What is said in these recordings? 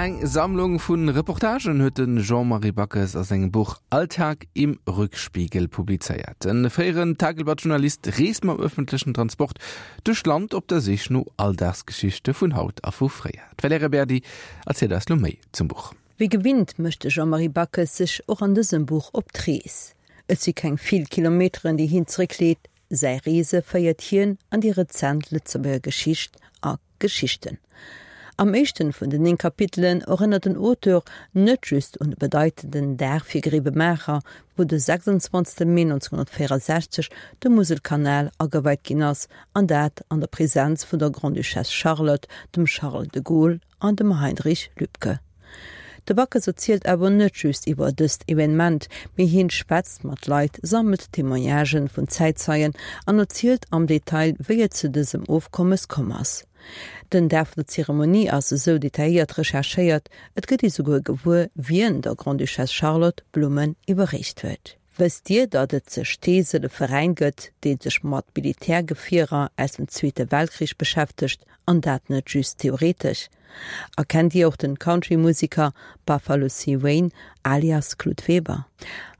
Eng Sammlung vu Reportagen huet de Jean-Marie Backes a sengem Buch Alltag im Rückspiegel publizéiert. De fréieren Tageblatt-Journalist reest mam ëffentlechen Transport duerch d'Land op der Sich no Alldagsgeschichte vun haut a vu fréier. D'Valerija Berdi erzielt eis lo méi zum Buch. Wéi gewinnt mécht de Jean-Marie Backes sech och an dësem Buch op d'Rees. Et si keng vill Kilometeren, déi hien zeréckleet, säi Reese féiert hien an déi rezent Lëtzebuerger Geschicht a Geschichten. Am éischten vun den 9 Kapitelen erënnert den Auteur net just un de bedeitenden Dag fir Gréiwemaacher, wou de 26 Mee 1964 de Muselkanal ageweit ginn ass, an dat an der Presenz vun der Grande-Duchesse Charlotte, dem Charles de Gaulle an dem Heinrich Lübke. De Backes erzielt awer net just iwwer dëst Evenement, mee hien schwätzt mat Leit, sammelt Témoignagen vun Zäitzeien an erzielt am Detail, wéi et zu dësem Ofkommes komm ass. Den Dag vun der Zeremonie ass esou detailléiert recherchéiert, et gëtt ee souguer gewuer, wien der Grande-Duchesse Charlotte Blummen iwwerreecht huet. Wësst Dir, datt et ze Steesel e Veräin gëtt, dee sech mat Militärgefierer aus dem Zweete Weltkrich beschäftegt, an dat net just theoretesch? A kennt Dir och den Country-Museker Buffalo C. Wayne alias Claude Weber?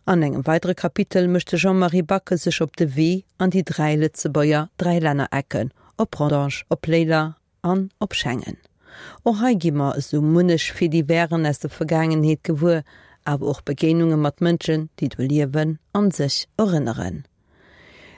An engem weidere Kapitel mécht de Jean-Marie Backes sech op de Wee an déi 3 Lëtzebuerger Dräilännerecken, op Rodange, op Léiler an op Schengen. Och hei gi mer esou munnech Fait-diversen aus der Vergaangenheet gewuer, awer och Begéinunge mat Mënschen, déi do liewen an sech erënneren.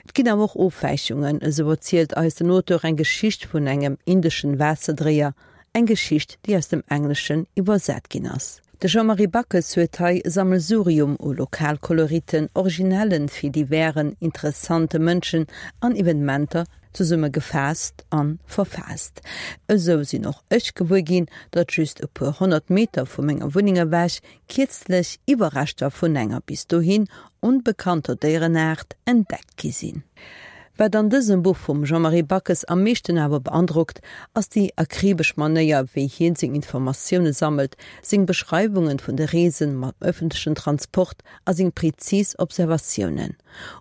Et ginn awer och Ofwäichungen, esou erzielt eis den Auteur eng Geschicht vun engem indeschen Waasserdréier, eng Geschicht, déi aus dem Engleschen iwwersat ginn ass. De Jean-Marie Backes huet hei e Sammelsurium u Lokalkoloriten, originellen Fait-diversen, interessante Mënschen an Evenementer zesumme gefaasst an verfaasst. Esou sinn och ech gewuer ginn, datt just e puer 100 Meter vu menger Wunneng ewech kierzlech Iwwerreschter vun enger bis dohin onbekannter Déierenaart entdeckt gi sinn. Wat an dësem Buch vum Jean-Marie Backes am meeschten awer beandrockt, ass déi akribesch Manéier, wéi hien seng Informatioune sammelt, seng Beschreiwungen vun de Reesen mam ëffentlechen Transport a seng prezis Observatiounen.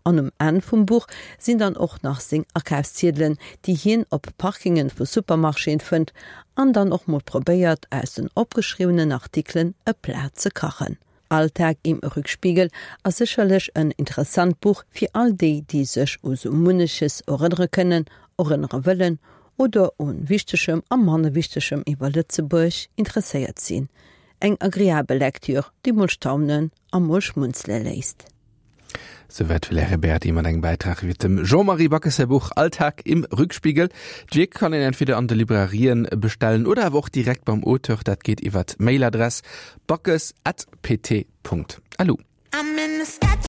An um Enn vum Buch sinn dann och nach seng Akafsziedelen, déi hien op Parkingen vu Supermarchéen fënnt an dann och mol probéiert, aus den opgeschriwwenen Artikelen e Plat ze kachen. Alltag im Rückspiegel ass sécherlech en interessant Buch fir all déi, déi sech u sou munneches erënnere kënnen, erënnere wëllen oder u Wichtegem a manner Wichtegem iwwer Lëtzebuerg interesséiert sinn. Eng agreabel Lektür, déi mol staunen a mol schmunzele léisst. Souwäit d'Valerija Berdi mat engem Bäitrag iwwer dem Jean-Marie Backes säi Buch Alltag im Rückspiegel. D'Wierk kann een entweder an de Librarien bestellen oder awer och direkt beim Auteur. Dat geet iwwer d'Mailadress backes at pt Punkt lu.